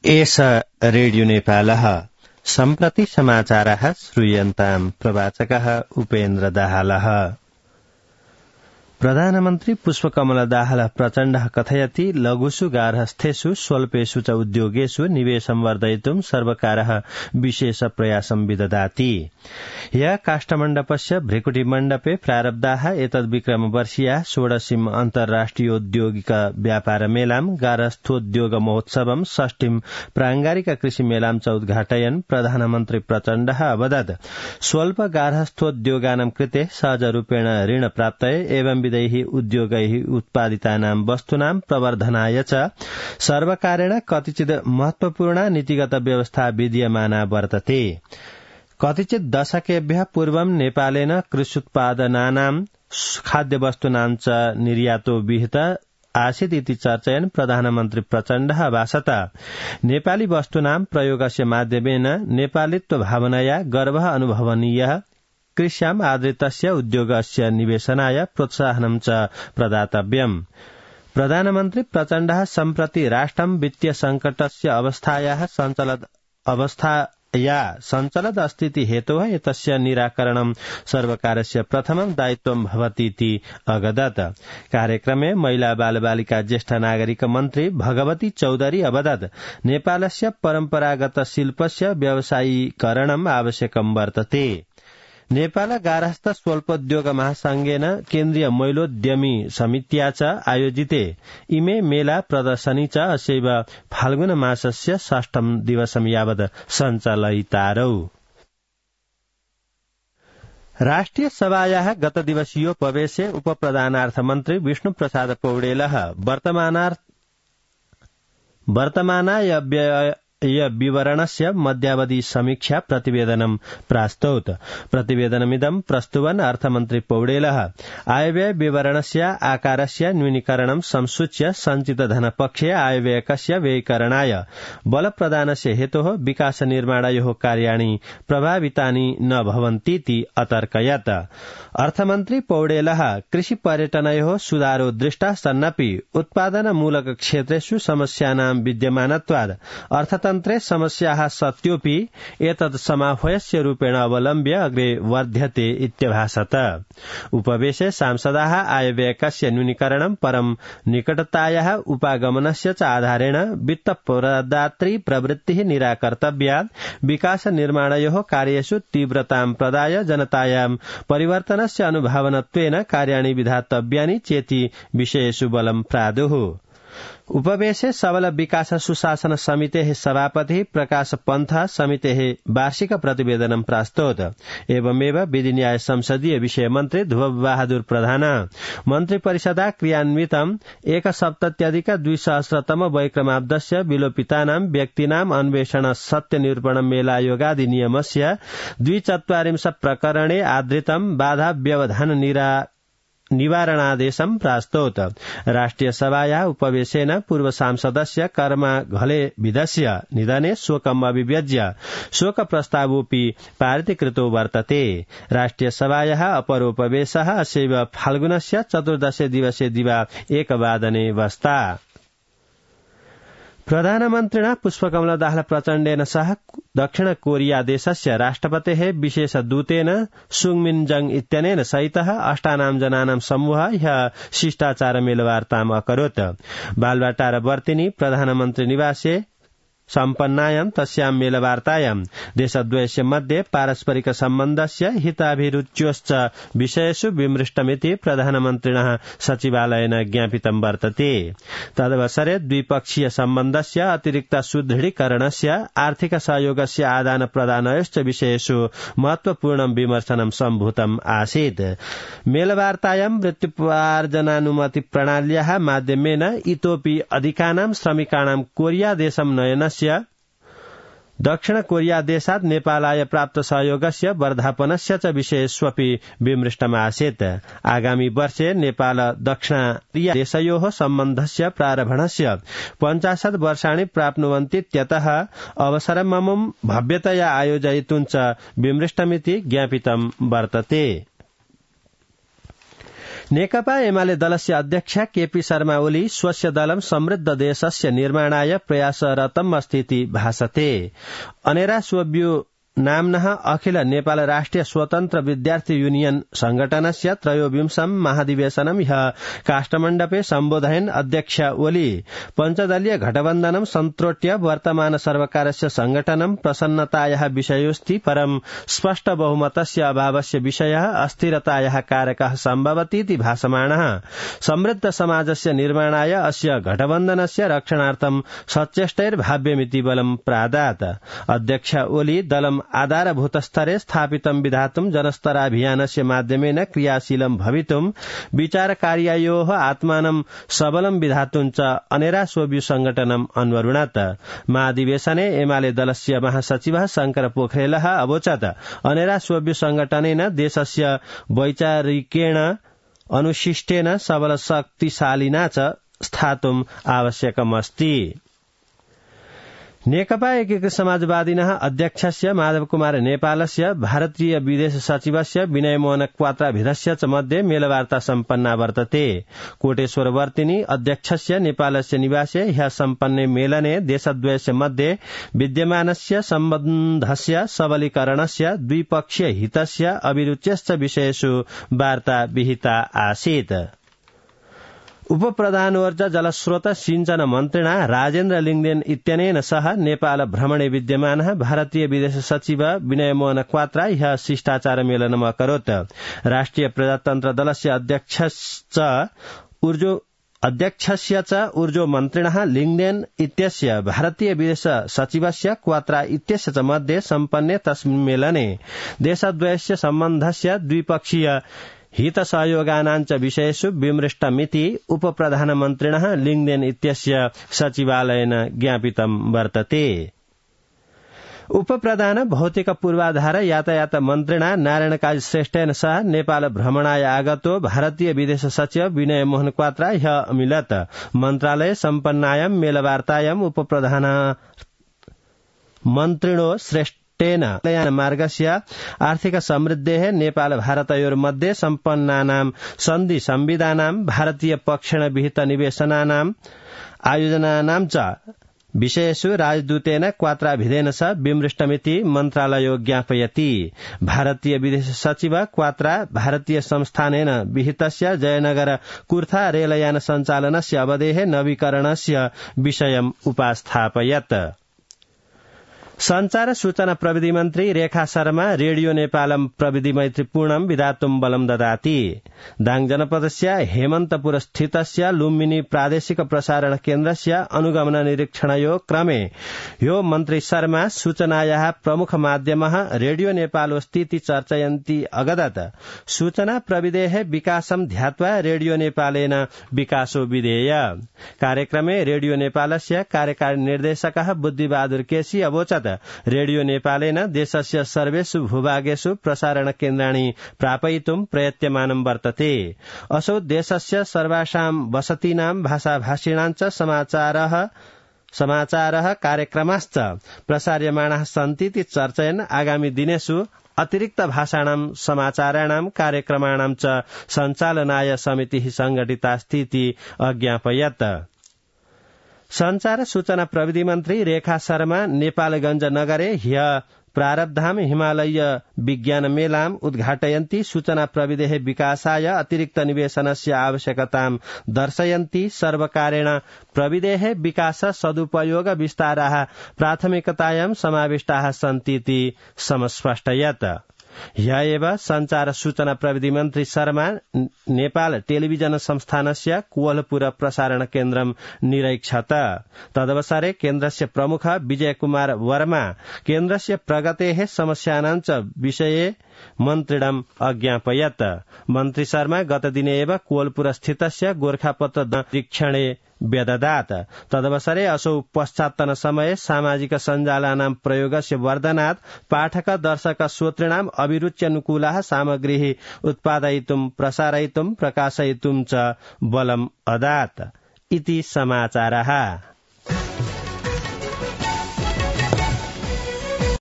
एष रेडियो नेपालः सम्प्रति समाचारः श्रूयन्ताम् प्रवाचकः उपेन्द्र दाहालः। प्रधानमन्त्री पुष्पकमल दाहाल प्रचण्डः कथयति लघुषु गार्हस्थ्येषु स्वल्पेषु च उद्योगेषु निवेशं वर्धयितुं सर्वकारः विशेष प्रयासं विदधाति। ह्यः काष्ठमण्डपस्य भृकुटिमण्डपे प्रारब्धाः एतद्विक्रमवर्षीयाः 16म् अन्तर्राष्ट्रियोद्योगिक व्यापार मेलां गार्हस्थ्योद्योग महोत्सवं 6म् प्रांगारिक कृषि मेलां च उद्घाटयन् प्रधानमन्त्री प्रचण्डः अवदत् स्वल्प गार्हस्थ्योद्योगानां कृते सहजरूपेण ऋण प्राप्तये एवं उद्योगैः उत्पादितानां वस्तूनां प्रवर्धनाय च सर्वकारेण कतिचित् महत्वपूर्णा नीतिगत व्यवस्था विद्यमाना वर्तते। कतिचित् दशकेभ्यः पूर्वं नेपालेन कृष्युत्पादनानां खाद्यवस्तूनां च निर्यातो विहित आसीत् इति चर्चयन् प्रधानमन्त्री प्रचण्डः भाषत नेपाली वस्तूनां प्रयोगस्य माध्यमेन नेपालित्व भावनया गर्वः अनुभवनीयः कृष्याम् आधारितस्य उद्योगस्य निवेशनाय प्रोत्साहनं च प्रदातव्यम्। प्रधानमन्त्री प्रचण्डः सम्प्रति राष्ट्रं वित्तीय संकटस्य अवस्थायाः संचलद अस्ति हेतोः एतस्य निराकरणं सर्वकारस्य प्रथमं दायित्वं भवतीति अगदत्। कार्यक्रमे महिला बालबालिका ज्येष्ठ नागरिक मन्त्री भगवती चौधरी अवदत् नेपालस्य परम्परागत शिल्पस्य व्यवसायीकरणम् आवश्यकं वर्तते। नेपाल गार्हस्थ स्वल्पोद्योग महासंघेन केन्द्रीय महिलोद्यमी समित्या च आयोजिते इमे मेला प्रदर्शनी च अस्यैव फाल्गुन मासस्य 6म् दिवसं यावत् सञ्चालयितारौ। राष्ट्रिय सभायाः गतदिवसीयोपवेशे उपप्रधानार्थमन्त्री विष्णुप्रसाद पौडेलः वर्तमानाय विवरणस्य मध्यावधि समीक्षा प्रतिवेदनं प्रास्तौत्। प्रतिवेदनमिदं प्रस्तुवन् अर्थमन्त्री पौडेलः आयव्यय विवरणस्य आकारस्य न्यूनीकरणं संसूच्य सञ्चित धनपक्षे आयव्ययकस्य व्ययीकरणाय बलप्रदानस्य हेतोः विकास निर्माणयोः कार्याणि प्रभावितानि न भवन्तीति अतर्कयत्। अर्थमन्त्री पौडेलः कृषि पर्यटनयोः सुधारो दृष्टा सन्नपि उत्पादनमूलक क्षेत्रेषु समस्यानां विद्यमानत्वात् अर्थतन्त्रे समस्याः सत्योऽपि एतत् समाह्वयस्य रूपेण अवलम्ब्य अग्रे वर्ध्यते इत्यभाषत। उपवेशे सांसदाः आयव्ययकस्य न्यूनीकरणं परं निकटतायाः उपागमनस्य च आधारेण वित्तप्रदात्री प्रवृत्तिः निराकर्तव्या, विकास निर्माणयोः कार्येषु तीव्रतां प्रदाय जनतायां परिवर्तनस्य अनुभावनत्वेन कार्याणि विधातव्यानि चेति विषयेषु बलं प्रादुः। उपवेशे सबल विकास सुशासन समितेः सभापतिः प्रकाश पन्थ समितेः वार्षिक प्रतिवेदनं प्रास्तौत्। एवमेव विधि न्याय संसदीय विषय मन्त्री ध्रुव बहादुर प्रधान मन्त्री परिषदा क्रियान्वितं 1,70,200 वैक्रमाब्दस्य विलोपितानां व्यक्तीनाम् अन्वेषण सत्य निरूपण मेलायोगादि नियमस्य 240 प्रकरणे आधृतं बाधा व्यवधान निवारणादेशं प्रास्तौत्। राष्ट्रिय सभायाः उपवेशेन पूर्व सांसदस्य कर्मा घलेविदस्य निधने शोकम् अभिव्यज्य शोक प्रस्तावोऽपि पारितीकृतो वर्तते। राष्ट्रिय सभायाः अपरोपवेशः अस्यैव फाल्गुनस्य 14 दिवसे दिवा 1 वादने वस्ता। प्रधानमन्त्रिणा पुष्पकमल दाहाल प्रचण्डेन सह दक्षिण कोरिया देशस्य राष्ट्रपतेः विशेष दूतेन सुङमिन इत्यनेन सहितः 8 जनानां समूहः ह्यः शिष्टाचार मेलवार्ताम् अकरोत्। बालवाटार वर्तिनी प्रधानमन्त्री निवासे सम्पन्नायां तस्यां मेलवार्तायां देशद्वयस्य मध्ये पारस्परिक सम्बन्धस्य हिताभिरुच्योश्च विषयेषु विमृष्टमिति प्रधानमन्त्रिणः सचिवालयेन ज्ञापितं वर्तते। तदवसरे द्विपक्षीय सम्बन्धस्य अतिरिक्त सुदृढीकरणस्य आर्थिक सहयोगस्य आदान प्रदानयोश्च विषयेषु महत्वपूर्णं विमर्शनं सम्भूतम् आसीत्। मेलवार्तायां मृत्युपार्जनानुमति प्रणाल्याः माध्यमेन इतोऽपि अधिकानां श्रमिकाणां कोरिया देशं नयनस्य दक्षिण कोरिया देशात् नेपालाय प्राप्त सहयोगस्य वर्धापनस्य च विषयेष्वपि विमृष्टमासीत्। आगामी वर्षे नेपाल दक्षिण कोरिया देशयोः सम्बन्धस्य प्रारम्भस्य 50 वर्षाणि प्राप्नुवन्तीत्यतः अवसरममुं भव्यतया आयोजयितुं च विमृष्टमिति ज्ञापितं वर्तते। नेकपा एमाले दलस्य अध्यक्ष केपी शर्मा ओली स्वस्य दलं समृद्ध देशस्य निर्माणाय प्रयासरतम् अस्तीति भासते। अनेरा सोब्यू नाम्नः अखिल नेपाल राष्ट्रिय स्वतन्त्र विद्यार्थी यूनियन संघटनस्य त्रयोविंशं महाधिवेशनं ह्यः काष्ठमण्डपे सम्बोधयन् अध्यक्ष ओली पञ्चदलीय घटबन्धनं सन्तोट्य वर्तमान सर्वकारस्य संगठनं प्रसन्नतायाः विषयोऽस्ति, परं स्पष्ट बहुमतस्य अभावस्य विषयः अस्थिरतायाः कारकः सम्भवतीति भासमानः। समृद्ध समाजस्य निर्माणाय अस्य घटबन्धनस्य रक्षणार्थं सचेष्टैर्भाव्यमिति बलं प्रादात्। अध्यक्ष ओली दलं आधारभूत स्तरे स्थापितं विधातुं जनस्तराभियानस्य माध्यमेन क्रियाशीलं भवितुं विचारकार्यायोः आत्मानं सबलं विधातुं च अनेरा सोब्यू संगठनम् अन्वरुणत्। महाधिवेशने एमाले दलस्य महासचिवः शंकर पोखरेलः अवोचत् अनेरा सोब्यू संगठनेन देशस्य वैचारिकेण अनुशिष्टेन सबल शक्तिशालिना च स्थातुम् आवश्यकमस्ति। नेकपा एकीकृत समाजवादिनः अध्यक्षस्य माधव कुमार नेपालस्य भारतीय विदेश सचिवस्य विनय मोहन क्वात्राभिधस्य च मध्ये मेलवार्ता सम्पन्ना वर्तते। कोटेश्वरवर्तिनी अध्यक्षस्य नेपालस्य निवासे ह्यः सम्पन्ने मेलने देशद्वयस्य मध्ये विद्यमानस्य सम्बन्धस्य सबलीकरणस्य द्विपक्षीय हितस्य अभिरुच्यश्च विषयेषु वार्ता विहिता आसीत्। उप प्रधानोर्जा जलस्रोत सिंचन मन्त्रिणा राजेन्द्र लिङदेन इत्यनेन सह नेपाल भ्रमणे विद्यमानः भारतीय विदेश सचिव विनय मोहन क्वात्रा ह्यः शिष्टाचार मेलनम् अकरोत्। राष्ट्रिय प्रजातन्त्र दलस्य अध्यक्षस्य च ऊर्जो मन्त्रिणः लिङदेन इत्यस्य भारतीय विदेश सचिवस्य क्वात्रा इत्यस्य च मध्ये सम्पन्ने तस्मिन् मेलने देशद्वयस्य सम्बन्धस्य द्विपक्षीय हित सहयोगानाञ्च विषयेषु विमृष्टमिति उप प्रधानमन्त्रिणः लिङदेन इत्यस्य सचिवालयेन ज्ञापितं वर्तते। उप प्रधान भौतिक पूर्वाधार यातायात मन्त्रिणा नारायण काजी श्रेष्ठेन सह नेपाल भ्रमणाय आगतो भारतीय विदेश सचिव विनय मोहन क्वात्रा ह्यः अमिलत्। मन्त्रालये सम्पन्नायां मेलवार्तायाम् उप प्रधान मन्त्रिणो श्रेष्ठ मार्गस्य आर्थिक समृद्धेः नेपाल भारतयोर्मध्ये सम्पन्नानां सन्धि संविधानां भारतीय पक्षेण विहित निवेशनानां आयोजनानां च विषयेषु राजदूतेन क्वात्राभिधेन सह विमृष्टमिति मन्त्रालयो ज्ञापयति। भारतीय विदेश सचिव क्वात्रा भारतीय संस्थानेन विहितस्य जयनगर कुर्था रेलयान सञ्चालनस्य अवधेः नवीकरणस्य विषयम् उपास्थापयत्। संचार सूचना प्रविधि मन्त्री रेखा शर्मा रेडियो नेपालम प्रविधि मैत्रीपूर्णं विधातुं बलं ददाति। दाङ जनपदस्य हेमन्तपुर स्थितस्य लुम्बिनी प्रादेशिक प्रसारण केन्द्रस्य अनुगमन निरीक्षणयो क्रमे यो मन्त्री शर्मा सूचनायाः प्रमुख माध्यमः रेडियो नेपालोऽस्तीति चर्चयन्ती अगदत् सूचना प्रविधेः विकासं ध्यात्वा रेडियो नेपालेन विकासो विधेय। कार्यक्रमे रेडियो नेपालस्य कार्यकारी निर्देशकः बुद्धिबहादुर केसी अवोचत् रेडियो नेपालेन देशस्य सर्वेषु भूभागेषु प्रसारण केन्द्राणि प्रापयितुं प्रयत्यमानं वर्तते। असौ देशस्य सर्वासां वसतीनां भाषाभाषिणां च समाचारः कार्यक्रमाश्च प्रसार्यमाणाः सन्तीति चर्चयन् आगामि दिनेषु अतिरिक्त भाषाणां समाचाराणां कार्यक्रमाणां च सञ्चालनाय समितिः संघटितास्तीति अज्ञापयत्। संचार सूचना प्रविधि मन्त्री रेखा शर्मा नेपालगंज नगरे ह्यः प्रारब्धाम हिमालय विज्ञान मेलाम् उद्घाटयन्ती सूचना प्रविधेः विकासाय अतिरिक्त निवेशनस्य आवश्यकतां दर्शयन्ती सर्वकारेण प्रविधेः विकास सदुपयोग विस्ताराः प्राथमिकतायां समाविष्टाः सन्तीति समस्पष्टयत्। ह्यः एव संचार सूचना प्रविधि मन्त्री शर्मा नेपाल टेलिभिजन संस्थानस्य कोवलपुर प्रसारण केन्द्रं निरैक्षत। तदवसरे केन्द्रस्य प्रमुख विजय कुमार वर्मा केन्द्रस्य प्रगतेः समस्यानां च विषये मन्त्रिणम् अज्ञापयत्। मन्त्री शर्मा गतदिने एव कोवलपुर स्थितस्य गोरखापत्र निरीक्षणे व्यददात्। तदवसरे असौ पश्चात्तन समये सामाजिक सञ्जालानां प्रयोगस्य वर्धनात् पाठक दर्शक श्रोतॄणाम् अभिरुच्यनुकूलाः सामग्रीः उत्पादयितुं प्रसारयितुं प्रकाशयितुं च बलम् अदात् इति समाचारः।